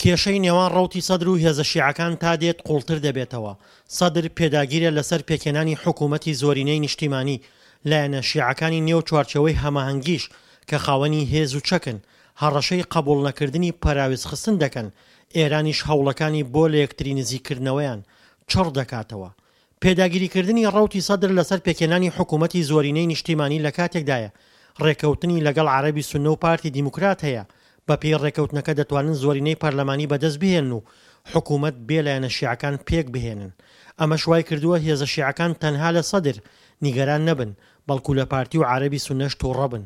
کێشەی نێوان ڕەوتی سەدر و هێزە شیعەکان تا دێت قوڵتر دەبێتەوە، سەدر پێداگیرە لەسەر پێکهێنانی حکوومەتی زۆرینەی نیشتیمانی، لایەنە شیعەکانی نێو چوارچێوەی هەماهەنگیش کە خاوەنی هێز و چەکن، هەڕەشەی قەبووڵنەکردنی پەراوێزخستن دەکەن، ئێرانیش هەوڵەکانی بۆ لەیەکتری نزیککردنەوەیان چڕ دەکاتەوە. پێداگیریکردنی ڕەوتی سەدر لەسەر پێکهێنانی حکوومەتی زۆرینەی نیشتیمانی لە کاتێکدایە، ڕێککەوتنی لەگەڵ عەرەبی سوننە و پارتی دیموکرات هەیە، بەپێی ڕێککەوتنەکە دەتوانن زۆرینەی پەرلەمانی بەدەست بهێنن و حکوومەت بێ لایەنە شیعەکان پێکبهێنن. ئەمەش وایکردووە هێزە شیعەکان تەنها لە سەدر نیگەران نەبن، بەڵکو لە پارتی و عەرەبی سوننەش تووڕە بن.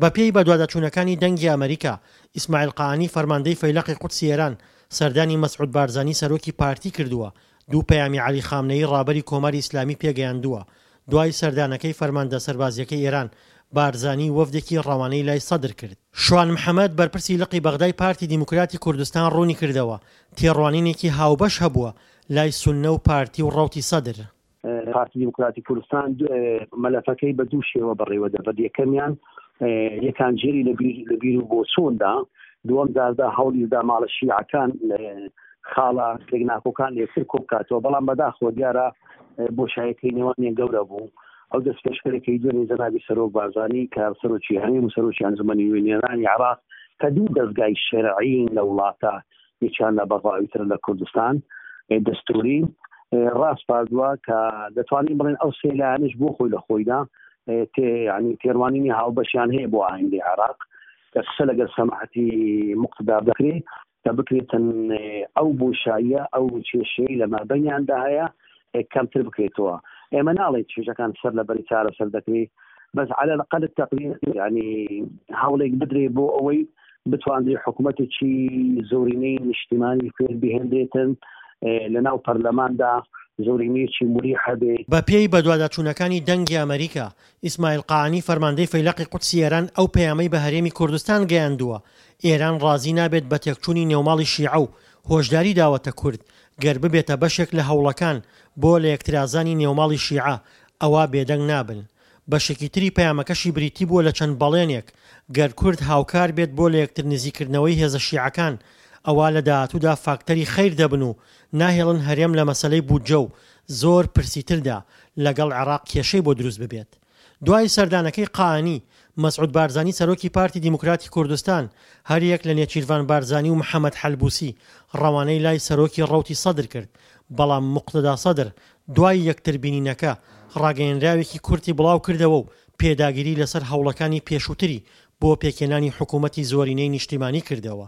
بەپێی بەدواداچوونەکانی دەنگی ئەمەریکا، ئیسماعیل قائانی فەرماندەی فەیلەقی قودسی ئێران سەردانی مەسعود بارزانی سەرۆکی پارتی کردووە، دوو پەیامی عەلی خامنەیی ڕابەری کۆماری ئیسلامی پێگەیاندووە. دوای سەردانەکەی فەرماندە سەربازییەکەی ئێران، بارزانی وەفدێکی ڕەوانەی لای سەدر کرد. شوان محەمەد، بەرپرسی لقی بەغدای پارتی دیموکراتی کوردستان ڕوونیکردەوە، تێڕوانینێکی هاوبەش هەبووە لای سوننە و پارتی و ڕەوتی سەدر. پارتی دیموکراتی کوردستان مەلەفەکەی بە دوو شێوە بەڕێوە دەبرد، یەکەمیان یەکانگیری لە بیر و بۆچووندا، دووەم جاردا هەوڵیدا ماڵە شیعەکان خاڵە پێکناکۆکان لەیەکتر کۆبکاتەوە، بەڵام بەداخەوە دیارە بۆشایەکەی نێوانیان گەورە بوو. ئەو دەستپێشخەرێکەی دوێنێ جەنابی سەرۆک بارزانی کە سەرۆکی هەرێم و سەرۆکی ئەنجومەنی نوێنەرانی عێراق کە دوو دەزگای شەرعین لە وڵاتە یەکیان لە بەغا ئەوی تر لە کوردستان دەستوری ڕاسپاردووە کە دەتوانین بڵێن ئەو سێ لایەنش بۆ خۆی لە خۆیدا ینی تێڕوانینی هاوبەشیان هەیە بۆ ئایندەی عێراق کە قسە لەگەر سەماحەتی مقتدا بکرێ کە بکرێتن ئەو بۆشاییە ئەو کێشەی لە مابەینیاندا هەیە کەمتر بکرێتەوە ئێمە ناڵێن کێشەکان سەر لە بەری چارەسەر دەکرێت بەس على الأقل التقدير ینی هەوڵێک بدرێ بۆ ئەوەی بتواندرێ حکوومەتێکی زۆرینەی نیشتیمانی پێک بهێنرێتن لە ناو پەرلەماندا زۆرینەیەکی مریح هەبێ. بەپێی بەدواداچوونەکانی دەنگی ئەمەریکا، ئیسماعیل قائانی فەرماندەی فەیلەقی قودسی ئێران ئەو پەیامەی بە هەرێمی کوردستان گەیاندووە، ئێران ڕازی نابێت بە تێکچوونی نێوماڵی شیعە و هۆشداری داوەتە کورد گەر ببێتە بەشێک لە هەوڵەکان بۆ لەیەکترازانی نێوماڵی شیعە ئەوا بێدەنگ نابن. بەشێکی تری پەیامەکەشی بریتی بووە لە چەند بەڵێنێک گەر کورد هاوکار بێت بۆ لەیەکتر نزیککردنەوەی هێزە شیعەکان ئەوا لە داهاتوودا فاکتەری خەیر دەبن و ناهێڵن هەرێم لە مەسەلەی بودجە و زۆر پرسی تردا لەگەڵ عێراق کێشەی بۆ دروست ببێت. دوای سەردانەکەی قائانی، مەسعود بارزانی سەرۆکی پارتی دیموکراتی کوردستان، هەریەک لە نێچیرڤان بارزانی و محەمەد حەلبوسی ڕەوانەی لای سەرۆکی ڕەوتی سەدر کرد، بەڵام موقتەدا سەدر دوای یەکتربینینەکە ڕاگەیەنراوێکی کورتی بڵاوکردەوە و پێداگیری لەسەر هەوڵەکانی پێشووتری بۆ پێکهێنانی حکوومەتی زۆرینەی نیشتیمانی کردەوە.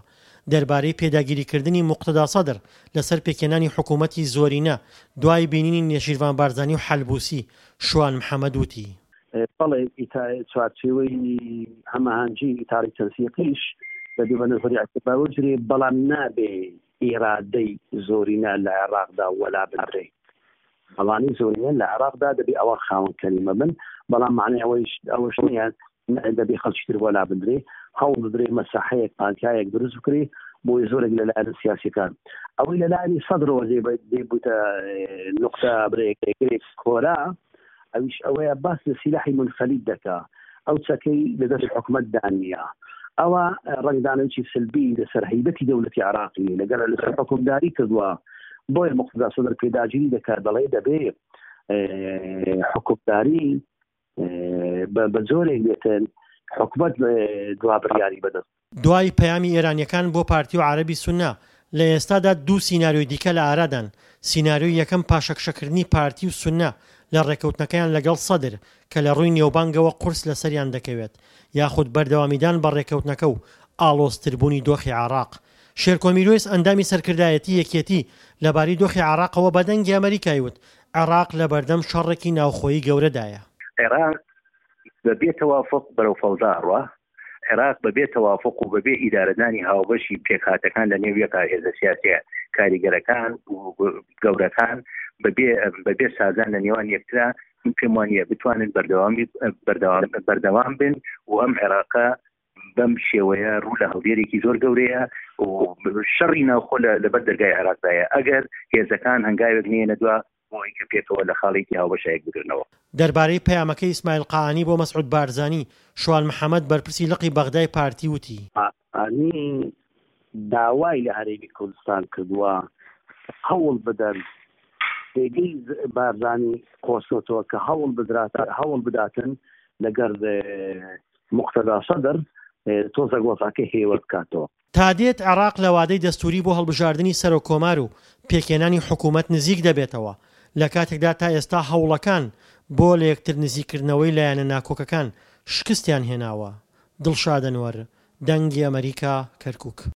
دەربارەی پێداگیریکردنی موقتەدا سەدر لەسەر پێکهێنانی حکوومەتی زۆرینە دوای بینینی نێچیرڤان بارزانی و حەلبوسی، شوان محەمەد وتی. بەڵێ چوارچێوەی هەماهەنگی ئیتاری تەنسیقیش دەبێ بە نەزەری ئیعتبار وەرگرێ، بەڵام نابێ ئیرادەی زۆرینە لە عێراقدا وەلا بنرێ. ئەوانەی زۆرینەن لە عێراقدا دەبێ ئەوان خاوەن کەلیمە بن، بەڵام مەعنای ئەوەیش ئەوەش نییە دەبێ خەڵکی تر وەلا بدرێ، هەوڵ بدرێ مەساحەیەک پانتایەک دروست بکرێ بۆی زۆرێک لە لایەنە سیاسیەکان ئەوەی لە لایەنی سەدرەوە دێ بووتە نوقتە برێک کۆرا ئەویش ئەوەیە باس لە سیلاحی منفەلیت دەکا ئەو چەکەی لە دەست حکومەتدا نییە ئەوە ڕەنگدانەوەی سلبی لەسەر هەیبەتی دەولەتی عراقی لەگەڵ لەسەر حکومداری کردووە بۆیە مقتدا سەدر پێداگیری دەکات دەڵێ دەبێ حکومداری بە جۆرێک بێتن حکومەت دوا بڕیاری بەدەست دوای پەیامی ئێرانییەکان بۆ پارتی و عەرەبی سوننە، لە ئێستادا دوو سیناریۆی دیکە لە ئارادان، سیناریۆی یەکەم پاشەکشەکردنی پارتی و سوننە لە ڕێککەوتنەکەیان لەگەڵ سەدر کە لە ڕووی نێوبانگەوە قورس لەسەریان دەکەوێت، یاخود بەردەوامیدان بە ڕێککەوتنەکە و ئاڵۆزتربوونی دۆخی عێراق. شێرکۆ میروەیس ئەندامی سەرکردایەتی یەکێتی لەبارەی دۆخی عێراقەوە بە دەنگی ئەمەریکای وت، عێراق لەبەردەم شەڕێکی ناوخۆیی گەورەدایە. عێراق بە بێ تەوافوق بەرەو فەوزا ئەڕوا، عێراق بە بێ تەوافوق و بە بێ ئیدارەدانی هاوبەشی پێکهاتەکان لە نێو یەکا هێزە سیاسیە کاریگەرەکان و گەورەکان بە بێ بە بێ سازان لە نێوان یەکترا من پێم وانییە بتوانن بەردەوامی بەردەوام بەردەوام بن و ئەم عێراقە بەم شێوەیە ڕوو لە هەڵدێرێکی زۆر گەورەیە و شەڕی ناوخۆ لەبەر دەرگای عێراقدایە ئەگەر هێزەکان هەنگاوێک نێنە دوا بۆ ئەوەی کە پێکەوە لە خاڵێکی هاوبەشا یەک بگرنەوە. دەربارەی پەیامەکەی ئیسماعیل قائانی بۆ مەسعود بارزانی، شوان محەمەد بەرپرسی لقی بەغدای پارتی وتی. قائانی. داوای لە هەرێمی کوردستان کردووە هەوڵ بدەن پێگەی بارزانی قۆستۆتەوە کە هەوڵ بدرات هەوڵ بداتن لەگەر موقتەدا سەدر تۆزێک وەزعەکە هێور بکاتەوە. تادێت عێراق لە وادەی دەستووری بۆ هەڵبژاردنی سەرۆککۆمار و پێکهێنانی حکوومەت نزیک دەبێتەوە، لە کاتێکدا تا ئێستا هەوڵەکان بۆ لەیەکتر نزیککردنەوەی لایەنە ناکۆکەکان شکستیان هێناوە. دڵشاد ئەنوەر، دەنگی ئەمەریکا، کەرکووک.